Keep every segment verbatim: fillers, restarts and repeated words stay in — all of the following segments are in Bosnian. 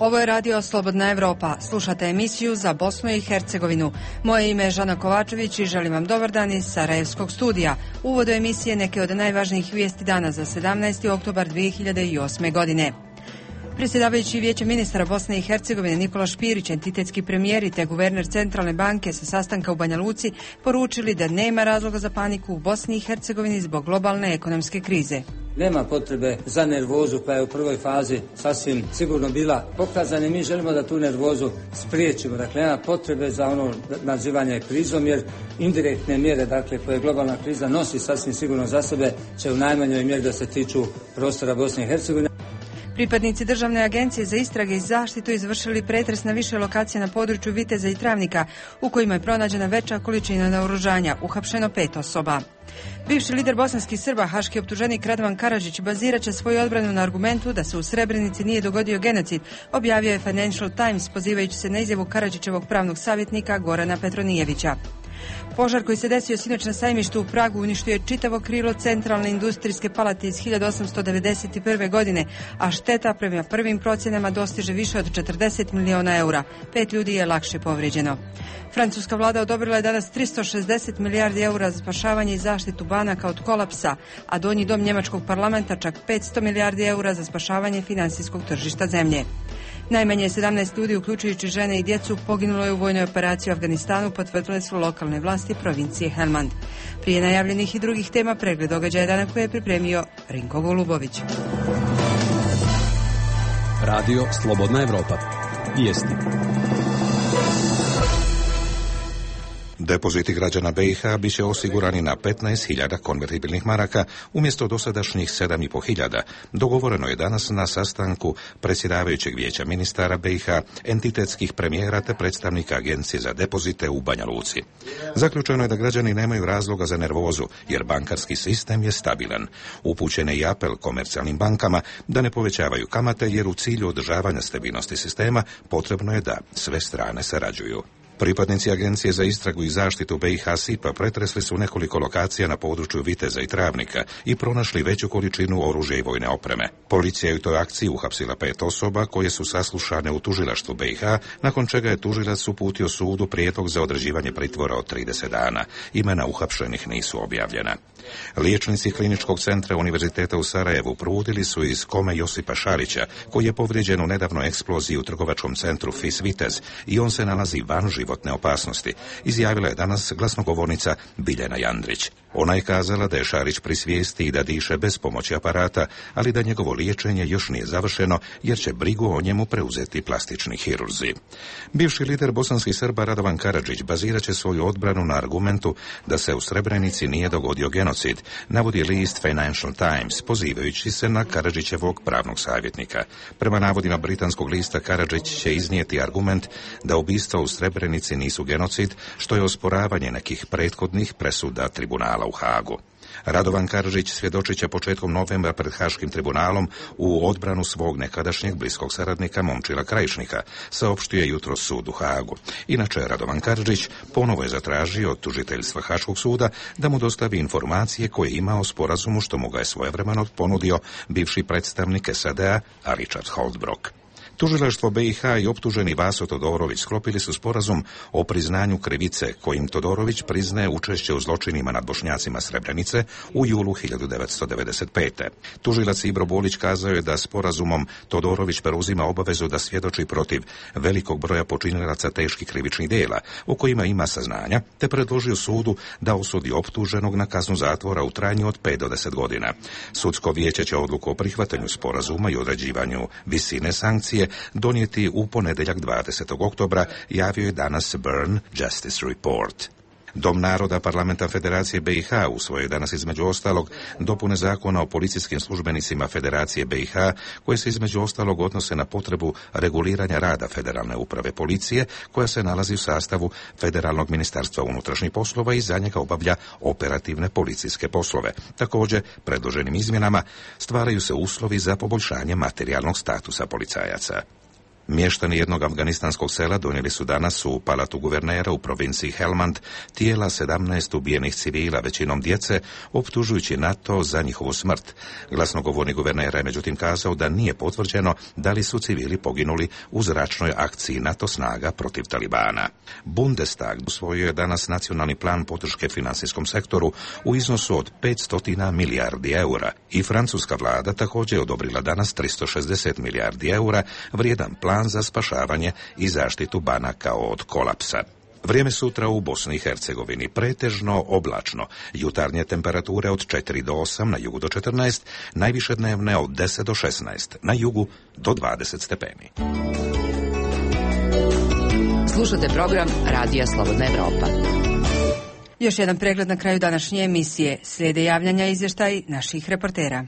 Ovo je radio Slobodna Evropa. Slušate emisiju za Bosnu i Hercegovinu. Moje ime je Žana Kovačević i želim vam dobar dan iz Sarajevskog studija. U uvodu emisije neke od najvažnijih vijesti dana za sedamnaesti oktobar dvije hiljade osme. godine. Predsjedavajući Vijeća ministara Bosne i Hercegovine Nikola Špirić, entitetski premijeri te guverner Centralne banke sa sastanka u Banja Luci poručili da nema razloga za paniku u Bosni i Hercegovini zbog globalne ekonomske krize. Nema potrebe za nervozu koja je u prvoj fazi sasvim sigurno bila pokazana i mi želimo da tu nervozu spriječimo. Dakle, nema potrebe za ono nazivanje krizom jer indirektne mjere dakle, koje globalna kriza nosi sasvim sigurno za sebe će u najmanjoj mjeri da se tiču prostora Bosne i Hercegovine. Pripadnici Državne agencije za istrage i zaštitu izvršili pretres na više lokacija na području Viteza i Travnika, u kojima je pronađena veća količina naoružanja, uhapšeno pet osoba. Bivši lider bosanskih Srba, haški optuženik Radovan Karadžić, bazirat će svoju odbranu na argumentu da se u Srebrenici nije dogodio genocid, objavio je Financial Times pozivajući se na izjavu Karadžićevog pravnog savjetnika Gorana Petronijevića. Požar koji se desio sinoć na sajmištu u Pragu uništio je čitavo krilo Centralne industrijske palate iz hiljadu osamsto devedeset prve. godine, a šteta prema prvim procjenama dostiže više od četrdeset miliona eura. Pet ljudi je lakše povrijeđeno. Francuska vlada odobrila je danas tristo šezdeset milijardi eura za spašavanje i zaštitu banaka od kolapsa, a donji dom njemačkog parlamenta čak petsto milijardi eura za spašavanje finansijskog tržišta zemlje. Najmanje sedamnaest ljudi, uključujući žene i djecu, poginulo je u vojnoj operaciji u Afganistanu, potvrdile su lokalne vlasti provincije Helmand. Prije najavljenih i drugih tema pregled događaja dana koje je pripremio Rinko Golubović. Radio Slobodna Evropa. Vijesti. Depoziti građana B i H bit će osigurani na petnaest hiljada konvertibilnih maraka umjesto dosadašnjih sedam i pol hiljada. Dogovoreno je danas na sastanku predsjedavajućeg Vijeća ministara B i H, entitetskih premijera te predstavnika Agencije za depozite u Banja Luci. Zaključeno je da građani nemaju razloga za nervozu jer bankarski sistem je stabilan. Upućen je i apel komercijalnim bankama da ne povećavaju kamate jer u cilju održavanja stabilnosti sistema potrebno je da sve strane sarađuju. Pripadnici Agencije za istragu i zaštitu B i H S I P-a pretresli su nekoliko lokacija na području Viteza i Travnika i pronašli veću količinu oružja i vojne opreme. Policija je u toj akciji uhapsila pet osoba koje su saslušane u tužilaštvu B i H, nakon čega je tužilac uputio sudu prijedlog za određivanje pritvora od trideset dana. Imena uhapšenih nisu objavljena. Liječnici Kliničkog centra Univerziteta u Sarajevu probudili su iz kome Josipa Šarića, koji je povrijeđen u nedavnoj eksploziji u trgovačkom centru F I S Vitez i on se nalazi van životne opasnosti, izjavila je danas glasnogovornica Biljana Jandrić. Ona je kazala da je Šarić pri svijesti i da diše bez pomoći aparata, ali da njegovo liječenje još nije završeno jer će brigu o njemu preuzeti plastični hirurzi. Bivši lider bosanskih Srba Radovan Karadžić bazirat će svoju odbranu na argumentu da se u Srebrenici nije dogodio genocid, navodi list Financial Times, pozivajući se na Karadžićevog pravnog savjetnika. Prema navodima britanskog lista, Karadžić će iznijeti argument da ubistva u Srebrenici nisu genocid, što je osporavanje nekih prethodnih presuda tribunala u Hagu. Radovan Karadžić svjedočit će početkom novembra pred Haškim tribunalom u odbranu svog nekadašnjeg bliskog saradnika Momčila Krajišnika, saopštio je jutros sud u Hagu. Inače, Radovan Karadžić ponovo je zatražio od tužiteljstva Haškog suda da mu dostavi informacije koje ima o sporazumu što mu ga je svojevremeno ponudio bivši predstavnik S A D-a Richard Holbrooke. Tužilaštvo B i H i optuženi Vaso Todorović sklopili su sporazum o priznanju krivice kojim Todorović priznaje učešće u zločinima nad Bošnjacima Srebrenice u julu hiljadu devetsto devedeset pete. Tužilac Ibro Bolić kazao je da sporazumom Todorović preuzima obavezu da svjedoči protiv velikog broja počinilaca teških krivičnih djela o kojima ima saznanja, te predložio sudu da osudi optuženog na kaznu zatvora u trajanju od pet do deset godina. Sudsko vijeće će odluku o prihvatanju sporazuma i određivanju visine sankcije donijeti u ponedjeljak dvadesetog oktobra, javio je danas Bern Justice Report. Dom naroda Parlamenta Federacije B i H usvojio je danas između ostalog dopune zakona o policijskim službenicima Federacije B i H koje se između ostalog odnose na potrebu reguliranja rada Federalne uprave policije koja se nalazi u sastavu Federalnog ministarstva unutrašnjih poslova i za njega obavlja operativne policijske poslove. Također, predloženim izmjenama stvaraju se uslovi za poboljšanje materijalnog statusa policajaca. Mještani jednog afganistanskog sela donijeli su danas u palatu guvernera u provinciji Helmand tijela sedamnaest ubijenih civila, većinom djece, optužujući NATO za njihovu smrt. Glasnogovornik guvernera je međutim kazao da nije potvrđeno da li su civili poginuli u zračnoj akciji NATO snaga protiv Talibana. Bundestag usvojio je danas nacionalni plan podrške financijskom sektoru u iznosu od petsto milijardi eura i francuska vlada također je odobrila danas tristo šezdeset milijardi eura vrijedan plan za spašavanje i zaštitu banaka od kolapsa. Vrijeme sutra u Bosni i Hercegovini pretežno oblačno, jutarnje temperature od četiri do osam, na jugu do četrnaest, najviše dnevne od deset do šesnaest, na jugu do dvadeset stepeni. Slušate program Radija Slobodna Evropa. Još jedan pregled na kraju današnje emisije. Slijede javljanja i izvještaj naših reportera.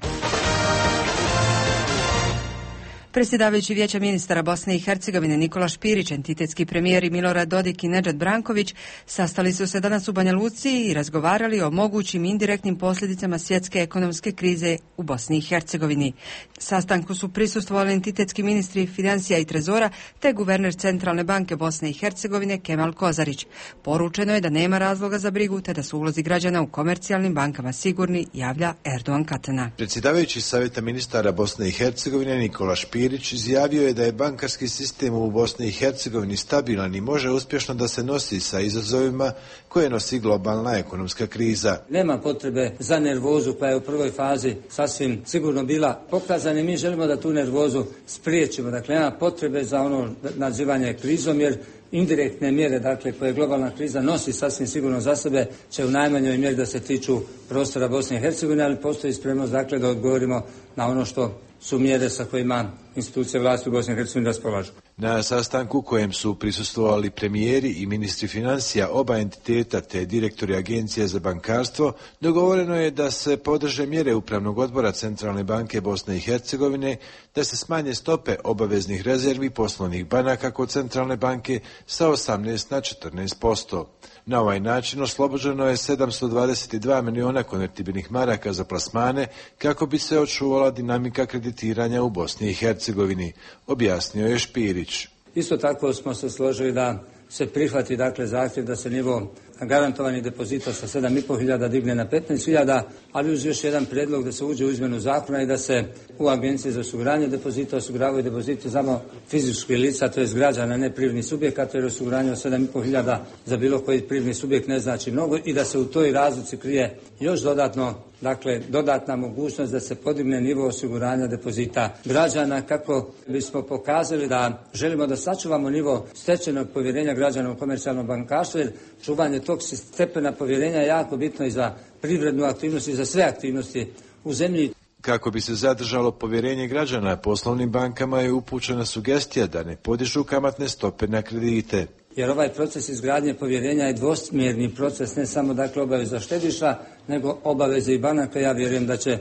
Predsjedavajući Vijeća ministara Bosne i Hercegovine Nikola Špirić, entitetski premijer i Milorad Dodik i Nedžad Branković sastali su se danas u Banja Luci i razgovarali o mogućim indirektnim posljedicama svjetske ekonomske krize u Bosni i Hercegovini. Sastanku su prisustvovali entitetski ministri financija i trezora te guverner Centralne banke Bosne i Hercegovine Kemal Kozarić. Poručeno je da nema razloga za brigu te da su ulozi građana u komercijalnim bankama sigurni, javlja Erdogan Katana. Predsjedavajući Savjeta ministara Bosne i Hercegovine Nikola Špirić izjavio je da je bankarski sistem u Bosni i Hercegovini stabilan i može uspješno da se nosi sa izazovima koje nosi globalna ekonomska kriza. Nema potrebe za nervozu koja je u prvoj fazi sasvim sigurno bila pokazana i mi želimo da tu nervozu spriječimo. Dakle, nema potrebe za ono nazivanje krizom jer indirektne mjere, dakle, koje globalna kriza nosi sasvim sigurno za sebe, će u najmanjoj mjeri da se tiču prostora Bosne i Hercegovine, ali postoji spremnost, dakle, da odgovorimo na ono što su mjere sa kojima institucije vlasti u Bosni i Hercegovini raspolažu. Na sastanku kojem su prisustvovali premijeri i ministri financija oba entiteta te direktori Agencije za bankarstvo, dogovoreno je da se podrže mjere Upravnog odbora Centralne banke Bosne i Hercegovine, da se smanje stope obaveznih rezervi poslovnih banaka kod Centralne banke sa osamnaest na četrnaest posto. Na ovaj način oslobođeno je sedamsto dvadeset dva miliona konvertibilnih maraka za plasmane kako bi se očuvala dinamika kreditiranja u Bosni i Hercegovini, objasnio je Špirić. Isto tako smo se složili da se prihvati, dakle, zahtjev da se nivo garantovanih depozita sa sedam i pol hiljada digne na petnaest hiljada, ali uz još jedan prijedlog da se uđe u izmjenu zakona i da se u Agenciji za osiguranje depozita osiguravaju depoziti samo fizičkih lica, to je građana, ne privrednih subjekata, jer osiguranje od sedam i pol hiljada za bilo koji privredni subjekt ne znači mnogo i da se u toj razlici krije još dodatno, dakle, dodatna mogućnost da se podigne nivo osiguranja depozita građana kako bismo pokazali da želimo da sačuvamo nivo stečenog povjerenja građana u komercijalnom bankarstvu, jer čuvanje tog stepena povjerenja je jako bitno i za privrednu aktivnost i za sve aktivnosti u zemlji. Kako bi se zadržalo povjerenje građana, poslovnim bankama je upućena sugestija da ne podižu kamatne stope na kredite. Jer ovaj proces izgradnje povjerenja je dvosmjerni proces, ne samo, dakle, obaveza štediša, nego obaveze i banaka. Ja vjerujem da će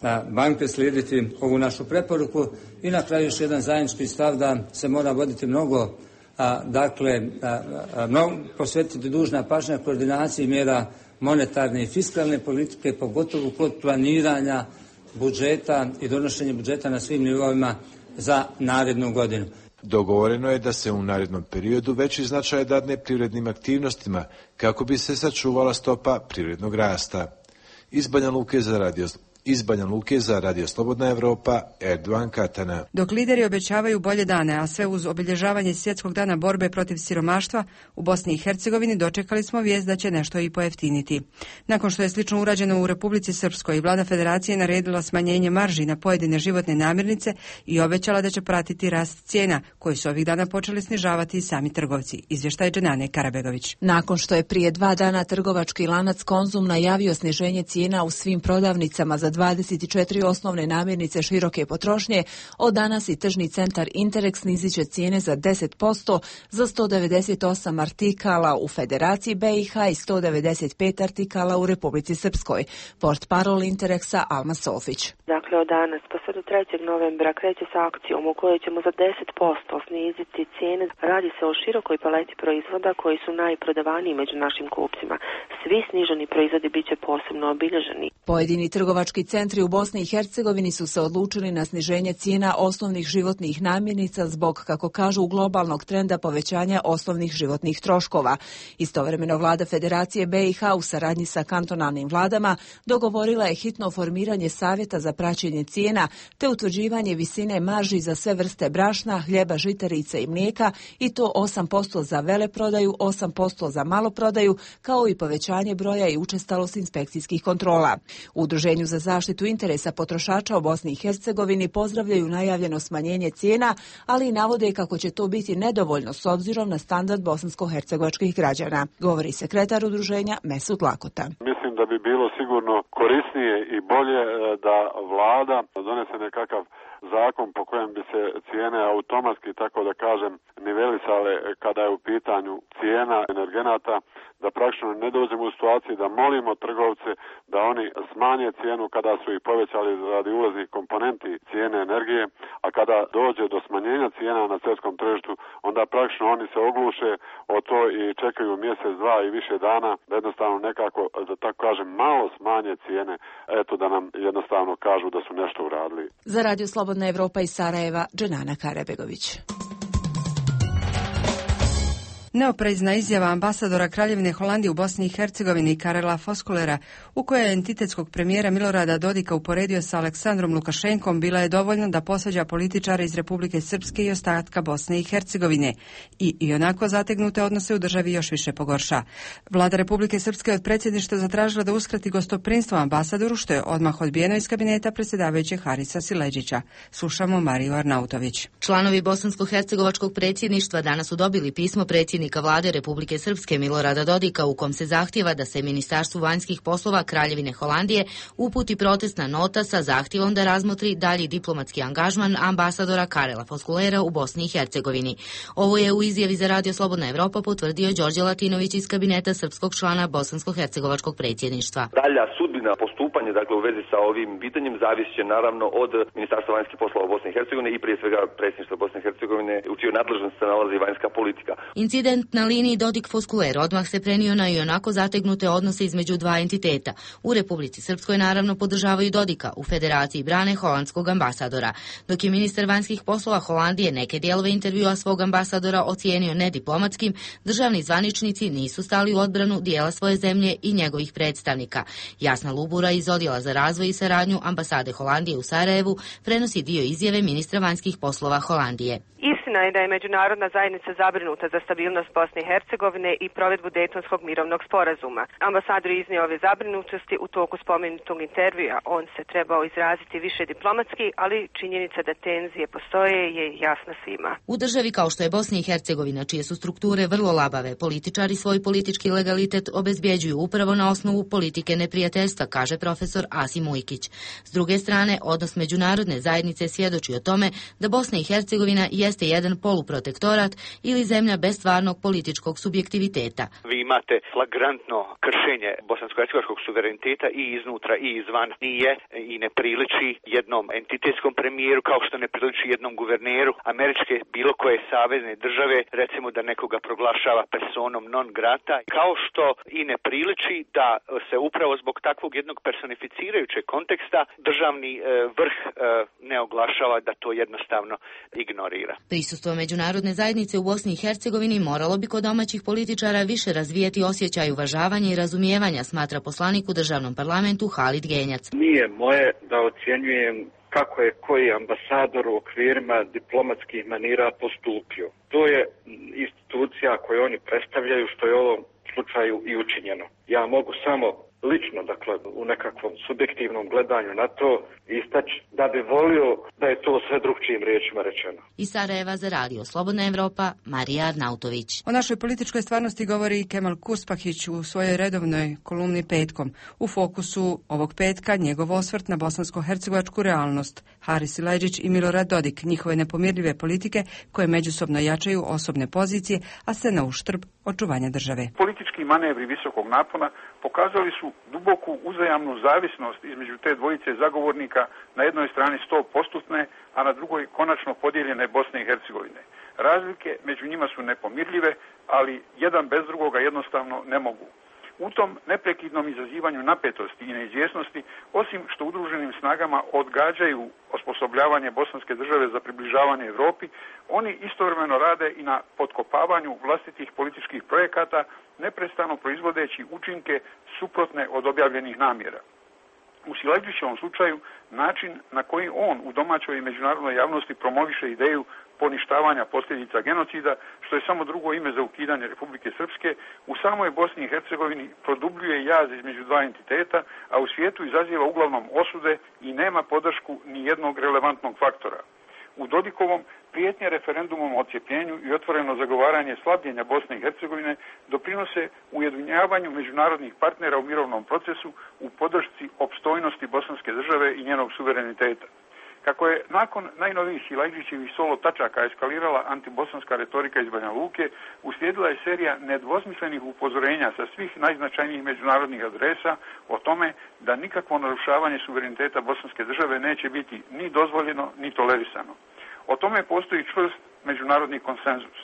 a, banke slijediti ovu našu preporuku i na kraju još jedan zajednički stav da se mora voditi mnogo, a, dakle, a, a, mnogo, posvetiti dužna pažnja koordinaciji mjera monetarne i fiskalne politike, pogotovo kod planiranja budžeta i donošenja budžeta na svim nivoima za narednu godinu. Dogovoreno je da se u narednom periodu veći značaj dadne privrednim aktivnostima kako bi se sačuvala stopa privrednog rasta. Iz Banja Luke za radio Iz Banja Luke za Radio Slobodna Evropa, Erdogan Katana. Dok lideri obećavaju bolje dane, a sve uz obilježavanje Svjetskog dana borbe protiv siromaštva, u Bosni i Hercegovini dočekali smo vijest da će nešto i pojeftiniti. Nakon što je slično urađeno u Republici Srpskoj, vlada federacije naredila smanjenje marži na pojedine životne namirnice i obećala da će pratiti rast cijena, koji su ovih dana počeli snižavati i sami trgovci. Izvještaj Dženane Karabegović. Nakon što je prije dva dana trgovački lanac Konzum najavio sniženje cijena u svim prodavnicama za dvadeset četiri osnovne namirnice široke potrošnje, od danas i tržni centar Interex snizit će cijene za deset posto za sto devedeset osam artikala u Federaciji B i H i sto devedeset pet artikala u Republici Srpskoj. Portparol Interexa Alma Sofić. Dakle, od danas pa sve do trećeg novembra kreće s akcijom u kojoj ćemo za deset posto sniziti cijene. Radi se o širokoj paleti proizvoda koji su najprodavaniji među našim kupcima. Svi sniženi proizvodi bit će posebno obilježeni. Pojedini trgovački centri u Bosni i Hercegovini su se odlučili na sniženje cijena osnovnih životnih namirnica zbog, kako kažu, globalnog trenda povećanja osnovnih životnih troškova. Istovremeno vlada Federacije B i H u saradnji sa kantonalnim vladama dogovorila je hitno formiranje savjeta za praćenje cijena te utvrđivanje visine marži za sve vrste brašna, hljeba, žitarica i mlijeka, i to osam posto za veleprodaju, osam posto za maloprodaju, kao i povećanje broja i učestalost inspekcijskih kontrola. U Udruženju za zaštitu interesa potrošača u Bosni i Hercegovini pozdravljaju najavljeno smanjenje cijena, ali i navode kako će to biti nedovoljno s obzirom na standard bosansko-hercegovačkih građana, govori sekretar udruženja Mesut Lakota. Mislim da bi bilo sigurno korisnije i bolje da vlada donese nekakav zakon po kojem bi se cijene automatski, tako da kažem, nivelisale kada je u pitanju cijena energenata, da praktično ne dođemo u situaciju da molimo trgovce da oni smanje cijenu kada su ih povećali radi ulaznih komponenti cijene energije, a kada dođe do smanjenja cijena na svjetskom tržištu, onda praktično oni se ogluše o to i čekaju mjesec, dva i više dana da jednostavno nekako, da tako kažem, malo smanje cijene, eto da nam jednostavno kažu da su nešto uradili. Za Radio Slobodna Evropa iz Sarajeva, Dženana Karabegović. Neoprezna izjava ambasadora Kraljevine Holandije u Bosni i Hercegovini Karela Voskuilera, u kojoj je entitetskog premijera Milorada Dodika uporedio sa Aleksandrom Lukašenkom, bila je dovoljna da posvađa političare iz Republike Srpske i ostatka Bosne i Hercegovine i ionako zategnute odnose u državi još više pogorša. Vlada Republike Srpske od predsjedništva zatražila da uskrati gostoprinstvo ambasadoru, što je odmah odbijeno iz kabineta predsjedavajućeg Harisa Sileđića. Slušamo Mariju Arnautović. Članovi bosansko-hercegovačkog predsjedništva danas su dobili pismo predsjednika Vlade Republike Srpske Milorada Dodika u kom se zahtjeva da se Ministarstvu vanjskih poslova Kraljevine Holandije uputi protestna nota sa zahtjevom da razmotri dalji diplomatski angažman ambasadora Karela Voskuilera u Bosni i Hercegovini. Ovo je u izjavi za Radio Slobodna Evropa potvrdio Đorđe Latinović iz kabineta srpskog člana bosansko-hercegovačkog predsjedništva. Dalja sudbina postupanja, dakle u vezi sa ovim pitanjem, zavisće naravno od Ministarstva vanjskih poslova Bosne i Hercegovine i prije svega predsjedništva Bosne i Hercegovine, u čijoj nadležnosti se nalazi vanjska politika. Incident na liniji Dodik-Voskuiler odmah se prenio na ionako zategnute odnose između dva entiteta. U Republici Srpskoj naravno podržavaju Dodika, u Federaciji brane holandskog ambasadora. Dok je ministar vanjskih poslova Holandije neke dijelove intervjua svog ambasadora ocijenio nediplomatskim, državni zvaničnici nisu stali u odbranu dijela svoje zemlje i njegovih predstavnika. Jasna Lubura iz Odjela za razvoj i saradnju ambasade Holandije u Sarajevu prenosi dio izjave ministra vanjskih poslova Holandije. Istina je da je međunarodna zajednica zabrinuta za stabilnost Bosne i Hercegovine i provedbu Dejtonskog mirovnog sporazuma. Ambasador je iznio ove zabrinutosti u toku spomenutog intervjua. On se trebao izraziti više diplomatski, ali činjenica da tenzije postoje je jasna svima. U državi kao što je Bosna i Hercegovina, čije su strukture vrlo labave, političari svoj politički legalitet obezbjeđuju upravo na osnovu politike neprijateljstva, kaže profesor Asim Ujkić. S druge strane, odnos međunarodne zajednice svjedoči o tome da Bosna i Hercegovina jeste jedan poluprotektorat ili zemlja bez stvarnog političkog subjektiviteta. Vi imate flagrantno kršenje bosansko-hercegovačkog suvereniteta i iznutra i izvan. Nije i ne priliči jednom entitetskom premijeru kao što ne priliči jednom guverneru američke bilo koje savezne države, recimo da nekoga proglašava personom non grata, kao što i ne priliči da se upravo zbog takvog jednog personificirajućeg konteksta državni e, vrh e, ne oglašava, da to jednostavno ignorira. Prisustvo međunarodne zajednice u Bosni i Hercegovini moralo bi kod domaćih političara više razvijeti osjećaj uvažavanja i razumijevanja, smatra poslanik u državnom parlamentu Halid Genjac. Nije moje da ocjenjujem kako je koji ambasador u okvirima diplomatskih manira postupio. To je institucija koju oni predstavljaju, što je u ovom slučaju i učinjeno. Ja mogu samo lično, dakle, u nekakvom subjektivnom gledanju na to istaći da bi volio da je to sve drugčijim riječima rečeno. Iz Sarajeva za Radio Slobodna Evropa, Marija Arnautović. O našoj političkoj stvarnosti govori Kemal Kuspahić u svojoj redovnoj kolumni Petkom. U fokusu ovog petka njegov osvrt na bosansko-hercegovačku realnost. Haris Sileđić i Milorad Dodik, njihove nepomirljive politike koje međusobno jačaju osobne pozicije, a sve na uštrb očuvanja države. Politički manevri visokog napona pokazali su duboku uzajamnu zavisnost između te dvojice zagovornika, na jednoj strani sto posto, a na drugoj konačno podijeljene Bosne i Hercegovine. Razlike među njima su nepomirljive, ali jedan bez drugoga jednostavno ne mogu. U tom neprekidnom izazivanju napetosti i neizvjesnosti, osim što udruženim snagama odgađaju osposobljavanje bosanske države za približavanje Europi, oni istovremeno rade i na potkopavanju vlastitih političkih projekata, neprestano proizvodeći učinke suprotne od objavljenih namjera. U Silajdžićevom slučaju, način na koji on u domaćoj i međunarodnoj javnosti promoviše ideju poništavanja posljedica genocida, što je samo drugo ime za ukidanje Republike Srpske, u samoj Bosni i Hercegovini produbljuje jaz između dva entiteta, a u svijetu izaziva uglavnom osude i nema podršku ni jednog relevantnog faktora. U Dodikovom prijetnje referendumom o odcijepljenju i otvoreno zagovaranje slabljenja Bosne i Hercegovine doprinose ujedinjavanju međunarodnih partnera u mirovnom procesu u podršci opstojnosti bosanske države i njenog suvereniteta. Kako je nakon najnovijih Silajdžićevih solo tačaka eskalirala antibosanska retorika iz Banja Luke, uslijedila je serija nedvosmislenih upozorenja sa svih najznačajnijih međunarodnih adresa o tome da nikakvo narušavanje suvereniteta bosanske države neće biti ni dozvoljeno ni tolerisano. O tome postoji čvrst međunarodni konsenzus.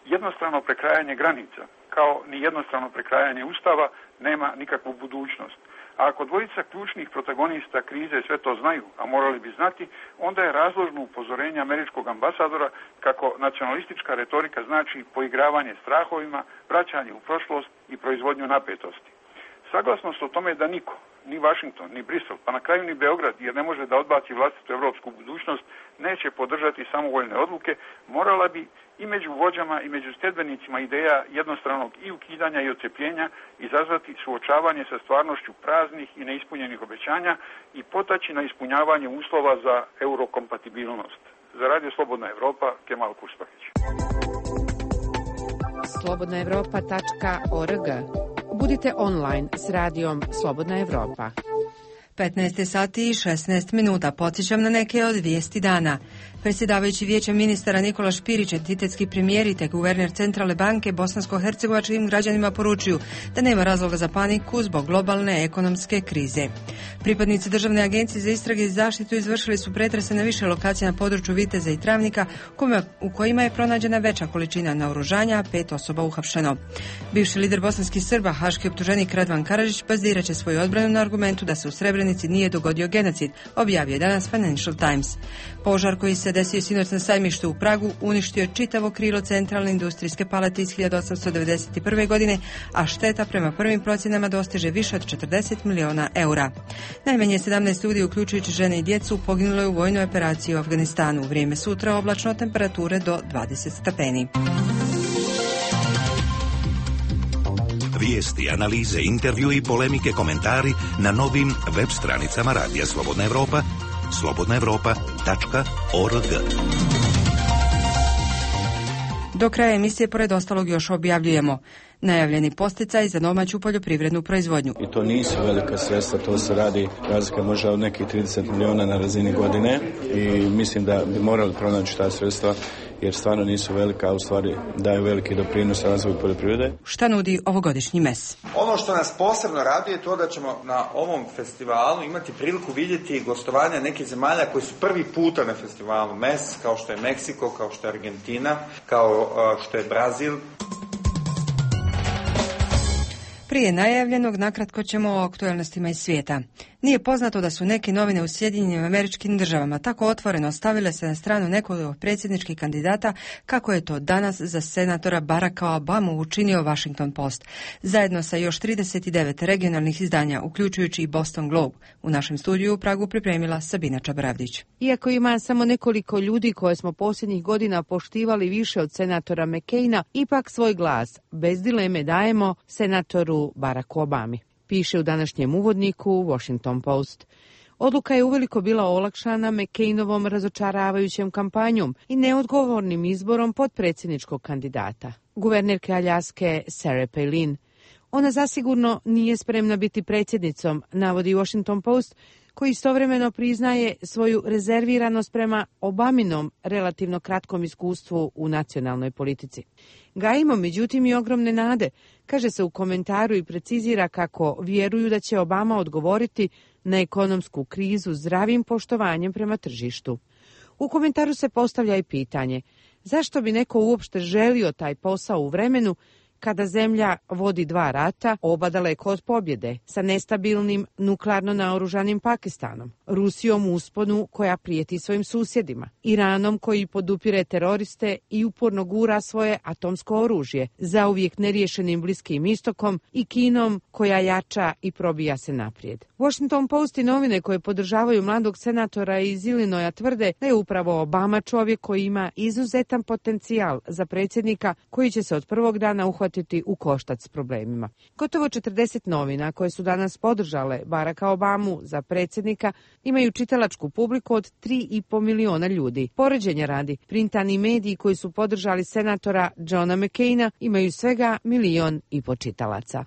Jednostrano prekrajanje granica, kao ni jednostrano prekrajanje ustava, nema nikakvu budućnost. A ako dvojica ključnih protagonista krize sve to znaju, a morali bi znati, onda je razložno upozorenje američkog ambasadora kako nacionalistička retorika znači poigravanje strahovima, vraćanje u prošlost i proizvodnju napetosti. Saglasnost o tome da niko, ni Washington, ni Brisel, pa na kraju ni Beograd, jer ne može da odbaci vlastitu evropsku budućnost, neće podržati samovoljne odluke, morala bi i među vođama i među sljedbenicima ideja jednostranog i ukidanja i odcepljenja izazvati suočavanje sa stvarnošću praznih i neispunjenih obećanja i potaći na ispunjavanje uslova za eurokompatibilnost. Za Radio Slobodna Evropa, Kemal Kuspahić. slobodna evropa tačka org. Budite online s radijom Slobodna Evropa. petnaest sati i šesnaest minuta. Podsjećam na neke od vijesti dana. Predsjedavajući vijećem ministara Nikola Špirić, entitetski premijer i te guverner Centralne banke bosansko-hercegovačkim građanima poručuju da nema razloga za paniku zbog globalne ekonomske krize. Pripadnici Državne agencije za istrage i zaštitu izvršili su pretrese na više lokacija na području Viteza i Travnika u kojima je pronađena veća količina naoružanja, pet osoba uhapšeno. Bivši lider bosanskih Srba, haški optuženik Radvan Karadžić, bazirat će svoju odbranu na argumentu da se u Srebrenici nije dogodio genocid, objavio je danas Financial Times. Požar koji se desio sinoć na sajmištu u Pragu uništio je čitavo krilo centralne industrijske palate iz hiljadu osamsto devedeset prve. godine, a šteta prema prvim procjenama dostiže više od četrdeset miliona eura. Najmanje sedamnaest ljudi, uključujući žene i djecu, poginulo je u vojnoj operaciji u Afganistanu. Vrijeme sutra oblačno, temperature do dvadeset stepeni. Vijesti, analize, intervju i polemike, komentari na novim web stranicama Radija Slobodna Evropa, slobodna evropa tačka org. Do kraja emisije, pored ostalog, još objavljujemo najavljeni podsticaj za domaću poljoprivrednu proizvodnju. I to nisu velika sredstva, to se radi razlika možda od nekih trideset miliona na razini godine i mislim da bi morali pronaći ta sredstva jer stvarno nisu velika, a u stvari daju veliki doprinos razvoju poljoprivrede. Šta nudi ovogodišnji mes? Ono što nas posebno raduje je to da ćemo na ovom festivalu imati priliku vidjeti gostovanja nekih zemalja koji su prvi puta na festivalu mes, kao što je Meksiko, kao što je Argentina, kao što je Brazil. Prije najavljenog, nakratko ćemo o aktualnostima iz svijeta. Nije poznato da su neke novine u Sjedinjenim Američkim Državama tako otvoreno stavile se na stranu nekog od predsjedničkih kandidata kako je to danas za senatora Baracka Obamu učinio Washington Post, zajedno sa još trideset devet regionalnih izdanja, uključujući i Boston Globe. U našem studiju u Pragu pripremila Sabina Čabravdić. Iako ima samo nekoliko ljudi koje smo posljednjih godina poštivali više od senatora McCaina, ipak svoj glas bez dileme dajemo senatoru Baracku Obami, piše u današnjem uvodniku Washington Post. Odluka je uveliko bila olakšana McCainovom razočaravajućem kampanjom i neodgovornim izborom potpredsjedničkog kandidata, guvernerke Aljaske Sarah Palin. Ona zasigurno nije spremna biti predsjednicom, navodi Washington Post, koji istovremeno priznaje svoju rezerviranost prema Obaminom relativno kratkom iskustvu u nacionalnoj politici. Gajimo međutim i ogromne nade, kaže se u komentaru i precizira kako vjeruju da će Obama odgovoriti na ekonomsku krizu zdravim poštovanjem prema tržištu. U komentaru se postavlja i pitanje zašto bi neko uopšte želio taj posao u vremenu kada zemlja vodi dva rata, oba daleko od pobjede, sa nestabilnim nuklearno naoružanim Pakistanom, Rusijom u usponu koja prijeti svojim susjedima, Iranom koji podupire teroriste i uporno gura svoje atomsko oružje, zauvijek neriješenim Bliskim istokom i Kinom koja jača i probija se naprijed. Washington Post i novine koje podržavaju mladog senatora iz Illinoisa tvrde da je upravo Obama čovjek koji ima izuzetan potencijal za predsjednika koji će se od prvog dana uhvatiti u koštac s problemima. Gotovo četrdeset novina koje su danas podržale Baracka Obamu za predsjednika imaju čitalačku publiku od tri i po miliona ljudi. Poređenja radi, printani mediji koji su podržali senatora Johna McCaina imaju svega milion i po čitalaca.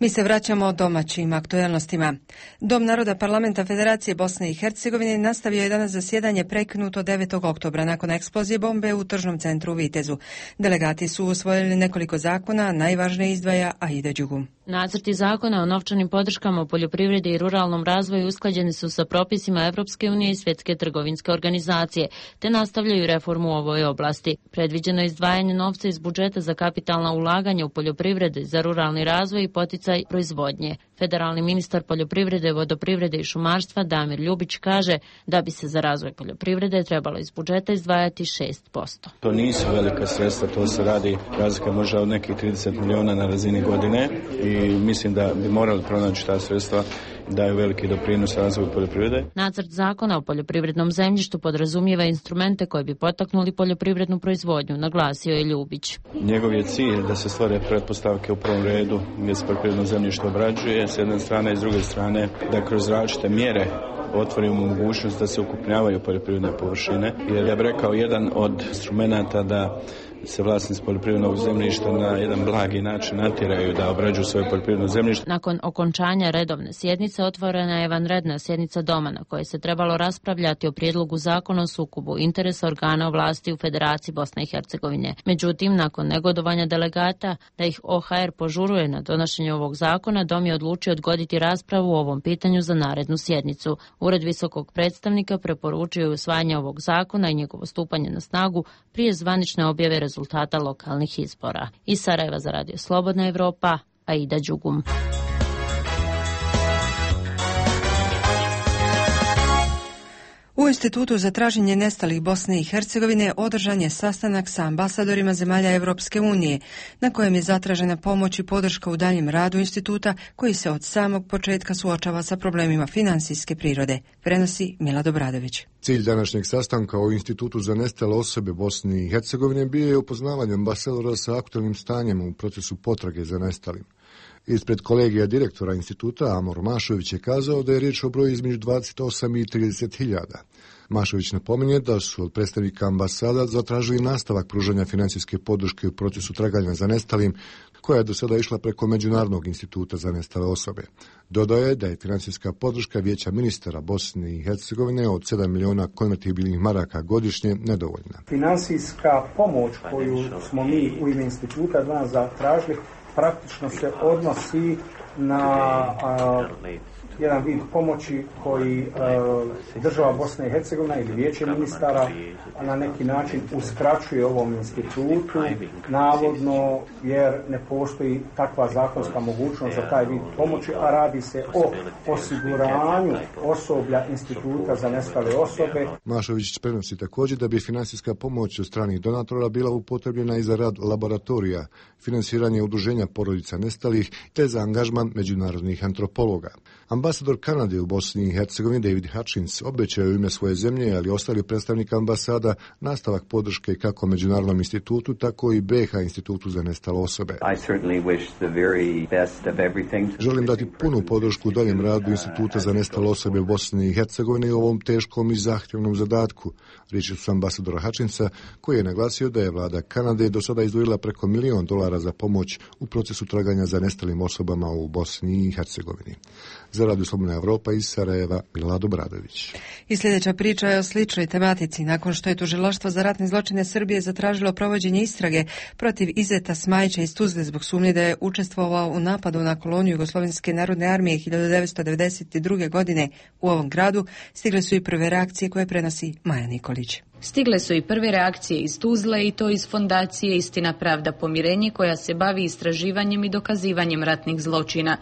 Mi se vraćamo domaćim aktuelnostima. Dom naroda Parlamenta Federacije Bosne i Hercegovine nastavio je danas zasjedanje prekinuto devetog oktobra nakon eksplozije bombe u tržnom centru u Vitezu. Delegati su usvojili nekoliko zakona, najvažnije izdvaja Aida Đugum. Nacrti zakona o novčanim podrškama u poljoprivredi i ruralnom razvoju usklađeni su sa propisima Evropske unije i Svjetske trgovinske organizacije, te nastavljaju reformu u ovoj oblasti. Predviđeno je izdvajanje novca iz budžeta za kapitalna ulaganja u poljoprivredi, za ruralni razvoj i poticaj proizvodnje. Federalni ministar poljoprivrede, vodoprivrede i šumarstva Damir Ljubić kaže da bi se za razvoj poljoprivrede trebalo iz budžeta izdvajati šest posto. To nisu velika sredstva, to se radi razlika možda od nekih trideset miliona na razini godine i mislim da bi morali pronaći ta sredstva, daju veliki doprinos razvoju poljoprivrede. Nacrt zakona o poljoprivrednom zemljištu podrazumijeva instrumente koje bi potaknuli poljoprivrednu proizvodnju, naglasio je Ljubić. Njegov je cilj da se stvore pretpostavke u prvom redu gdje se poljoprivredno zemljište obrađuje, s jedne strane i s druge strane da kroz različite mjere otvorimo mogućnost da se ukrupnjavaju poljoprivredne površine. Jer ja bih rekao, jedan od instrumenata da se vlasnici poljoprivrednog zemljišta na jedan blagi način natjeraju da obrađuju svoje poljoprivredno zemljište. Nakon okončanja redovne sjednice otvorena je vanredna sjednica Doma na kojoj se trebalo raspravljati o prijedlogu zakona o sukobu interesa organa vlasti u Federaciji Bosne i Hercegovine. Međutim, nakon negodovanja delegata da ih O H R požuruje na donošenje ovog zakona, Dom je odlučio odgoditi raspravu o ovom pitanju za narednu sjednicu. Ured visokog predstavnika preporučio je usvajanje ovog zakona i njegovo stupanje na snagu prije zvanične objave rezultata lokalnih izbora. Iz Sarajeva za Radio Slobodna Evropa, Aida Đugum. U Institutu za traženje nestalih Bosne i Hercegovine održan je sastanak sa ambasadorima zemalja Evropske unije, na kojem je zatražena pomoć i podrška u daljem radu instituta koji se od samog početka suočava sa problemima finansijske prirode, prenosi Milad Obradović. Cilj današnjeg sastanka o Institutu za nestale osobe Bosne i Hercegovine bio je upoznavanje ambasadora sa aktualnim stanjem u procesu potrage za nestalim. Ispred kolegija direktora instituta Amor Mašović je kazao da je riječ o broju između dvadeset osam i trideset hiljada. Mašović napominje da su od predstavnika ambasada zatražili nastavak pružanja financijske podrške u procesu traganja za nestalim, koja je do sada išla preko Međunarodnog instituta za nestale osobe. Dodaje da je financijska podrška Vijeća ministara Bosne i Hercegovine od sedam miliona konvertibilnih maraka godišnje nedovoljna. Finansijska pomoć koju smo mi u ime instituta danas zatražili praktično se odnosi na a, jedan vid pomoći koji a, država Bosna i Hercegovina ili Vijeće ministara na neki način uskraćuje ovom institutu, navodno jer ne postoji takva zakonska mogućnost za taj vid pomoći, a radi se o osiguranju osoblja instituta za nestale osobe. Mašović prenosi također da bi finansijska pomoć od stranih donatora bila upotrebljena i za rad laboratorija, finansiranje udruženja porodica nestalih te za angažman međunarodnih antropologa. Ambasador Kanade u Bosni i Hercegovini David Hutchins obećao u ime svoje zemlje, ali ostali predstavnik ambasada, nastavak podrške kako Međunarodnom institutu, tako i B H institutu za nestale osobe. Želim dati punu podršku u daljem radu instituta za nestale osobe u Bosni i Hercegovini u ovom teškom i zahtjevnom zadatku, riječi su ambasadora Hutchinsa, koji je naglasio da je vlada Kanade do sada izdvojila preko milion dolara za pomoć u procesu traganja za nestalim osobama u Bosni i Hercegovini. Za Radio Slobodna Evropa iz Sarajeva, Milorad Obradović. I sljedeća priča je o sličnoj tematici. Nakon što je Tužilaštvo za ratne zločine Srbije zatražilo provođenje istrage protiv Izeta Smajića iz Tuzle zbog sumnje da je učestvovao u napadu na koloniju Jugoslovenske narodne armije hiljadu devetsto devedeset druge. godine u ovom gradu, stigle su i prve reakcije koje prenosi Maja Nikolić. Stigle su i prve reakcije iz Tuzle i to iz fondacije Istina, pravda, pomirenje koja se bavi istraživanjem i dokazivanjem ratnih zločina.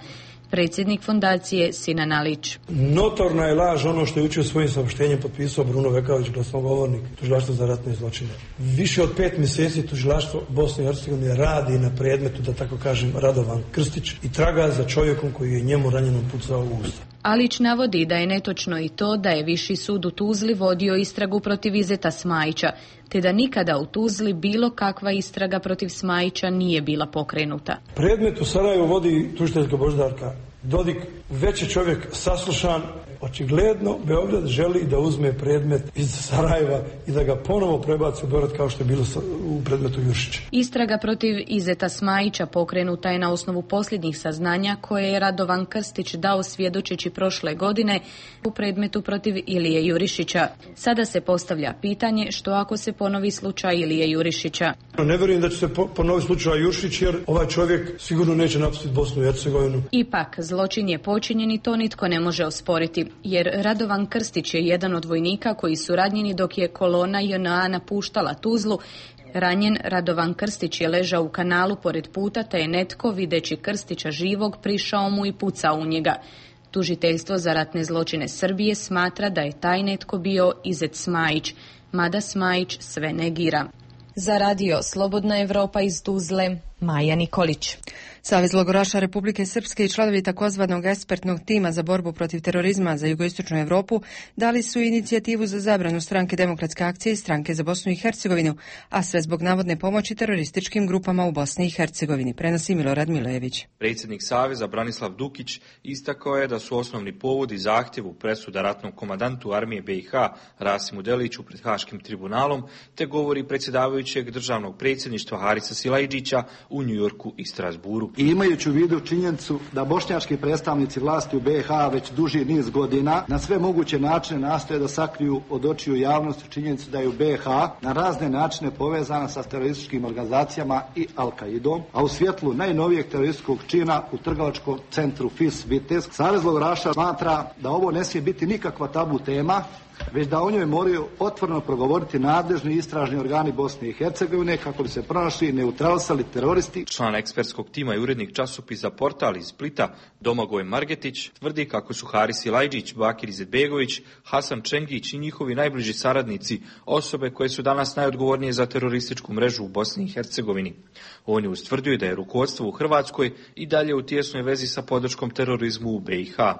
Predsjednik fondacije Sinan Alić. Notorna je laž ono što je učio svojim saopštenjem potpisao Bruno Vekavić, glasnogovornik Tužilaštva za ratne zločine. Više od pet mjeseci Tužilaštvo Bosne i Hercegovine radi na predmetu, da tako kažem, Radovan Krstić i traga za čovjekom koji je njemu ranjeno pucao u usta. Alić navodi da je netočno i to da je Viši sud u Tuzli vodio istragu protiv Izeta Smajića, te da nikada u Tuzli bilo kakva istraga protiv Smajića nije bila pokrenuta. Predmet u Sarajevu vodi tužiteljka Božidarka Dodik, već je čovjek saslušan. Očigledno Beograd želi da uzme predmet iz Sarajeva i da ga ponovo prebaci u Beograd kao što je bilo u predmetu Juršića. Istraga protiv Izeta Smajića pokrenuta je na osnovu posljednjih saznanja koje je Radovan Krstić dao svjedočeći prošle godine u predmetu protiv Ilije Jurišića. Sada se postavlja pitanje što ako se ponovi slučaj Ilije Jurišića. Ne vjerujem da će se ponoviti slučaj Juršić jer ovaj čovjek sigurno neće napustiti Bosnu i Hercegovinu. Ipak, zločin je počinjen i to nitko ne može osporiti, jer Radovan Krstić je jedan od vojnika koji su ranjeni dok je kolona J N A napuštala Tuzlu. Ranjen Radovan Krstić je ležao u kanalu pored puta, te je netko, videći Krstića živog, prišao mu i pucao u njega. Tužiteljstvo za ratne zločine Srbije smatra da je taj netko bio Izet Smajić, mada Smajić sve negira. Za Radio Slobodna Evropa iz Tuzle, Maja Nikolić. Savez logoraša Republike Srpske i članovi takozvanog ekspertnog tima za borbu protiv terorizma za jugoistočnu Evropu dali su inicijativu za zabranu Stranke Demokratske akcije i Stranke za Bosnu i Hercegovinu, a sve zbog navodne pomoći terorističkim grupama u Bosni i Hercegovini, prenosi Milorad Milojević. Predsjednik Saveza Branislav Dukić istakao je da su osnovni povodi zahtjevu presuda ratnom komandantu armije B i H Rasimu Deliću pred Haškim tribunalom, te govori predsjedavajućeg državnog predsjedništva Harisa Silajdžića u Njujorku i Strasburu. I imajući u vidu činjenicu da bošnjački predstavnici vlasti u B i H već duži niz godina na sve moguće načine nastoje da sakriju od očiju javnosti činjenicu da je u B i H na razne načine povezana sa terorističkim organizacijama i Al-Qaidom, a u svjetlu najnovijeg terorističkog čina u trgovačkom centru F I S Vitez, Savez logoraša smatra da ovo ne smije biti nikakva tabu tema, već da o njoj moraju otvoreno progovoriti nadležni istražni organi Bosne i Hercegovine kako bi se pronašli i neutralisali teroristi. Član ekspertskog tima i urednik časopisa Portal iz Splita Domagoj Margetić tvrdi kako su Haris Silajdžić, Bakir Izetbegović, Hasan Čengić i njihovi najbliži saradnici osobe koje su danas najodgovornije za terorističku mrežu u Bosni i Hercegovini. On je ustvrdio da je rukovodstvo u Hrvatskoj i dalje u tijesnoj vezi sa podrškom terorizmu u B i H.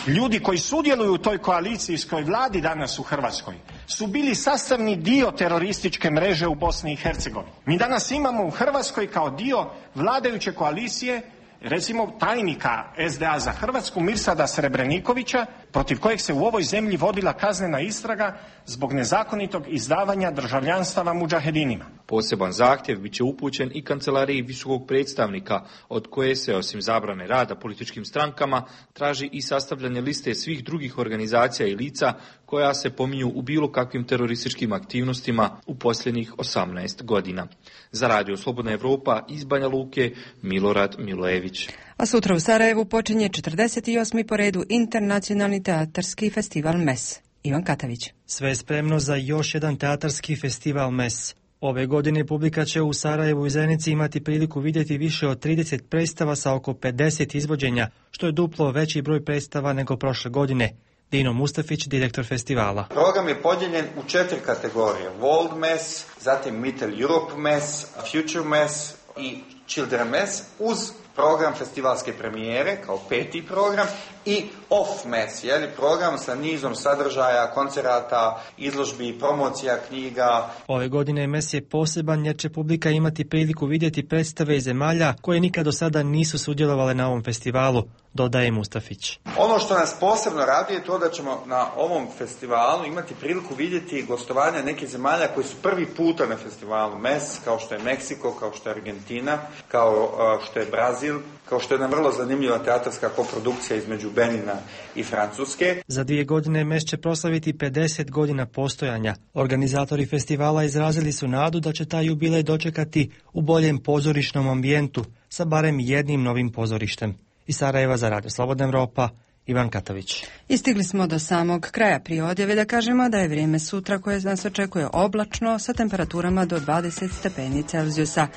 Ljudi koji sudjeluju u toj koalicijskoj vladi danas u Hrvatskoj su bili sastavni dio terorističke mreže u Bosni i Hercegovini. Mi danas imamo u Hrvatskoj kao dio vladajuće koalicije recimo tajnika S D A za Hrvatsku Mirsada Srebrenikovića, protiv kojeg se u ovoj zemlji vodila kaznena istraga zbog nezakonitog izdavanja državljanstava mudžahedinima. Poseban zahtjev bit će upućen i kancelariji visokog predstavnika, od koje se, osim zabrane rada političkim strankama, traži i sastavljanje liste svih drugih organizacija i lica koja se pominju u bilo kakvim terorističkim aktivnostima u posljednjih osamnaest godina. Za Radio Slobodna Evropa iz Banja Luke, Milorad Milojević. A sutra u Sarajevu počinje četrdeset osmi po redu internacionalni teatarski festival M E S. Ivan Katavić. Sve je spremno za još jedan teatarski festival M E S. Ove godine publika će u Sarajevu i Zenici imati priliku vidjeti više od trideset predstava sa oko pedeset izvođenja, što je duplo veći broj predstava nego prošle godine. Dino Mustafić, direktor festivala. Program je podijeljen u četiri kategorije. World M E S, zatim Middle Europe M E S, Future M E S i Children M E S, uz program festivalske premijere kao peti program i off M E S, jeli program sa nizom sadržaja, koncerata, izložbi, promocija knjiga. Ove godine M E S je poseban jer će publika imati priliku vidjeti predstave iz zemalja koje nikad do sada nisu sudjelovale na ovom festivalu, dodaje Mustafić. Ono što nas posebno radi je to da ćemo na ovom festivalu imati priliku vidjeti gostovanja nekih zemalja koji su prvi puta na festivalu M E S, kao što je Meksiko, kao što je Argentina, kao što je Brazil, Vaudeville, kao što je jedna vrlo zanimljiva teatarska koprodukcija između Benina i Francuske. Za dvije godine mes će proslaviti pedeset godina postojanja. Organizatori festivala izrazili su nadu da će taj jubilej dočekati u boljem pozorišnom ambijentu sa barem jednim novim pozorištem. Iz Sarajeva za Radio Slobodna Evropa, Ivan Katović. I stigli smo do samog kraja prije odjave da kažemo da je vrijeme sutra koje nas očekuje oblačno sa temperaturama do dvadeset stepeni Celzijusa.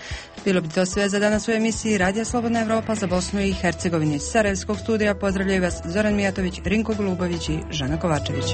Bilo bi to sve za danas u emisiji Radija Slobodna Evropa za Bosnu i Hercegovinu. Iz Sarajevskog studija pozdravljaju vas Zoran Mijatović, Rinko Golubović i Žana Kovačević.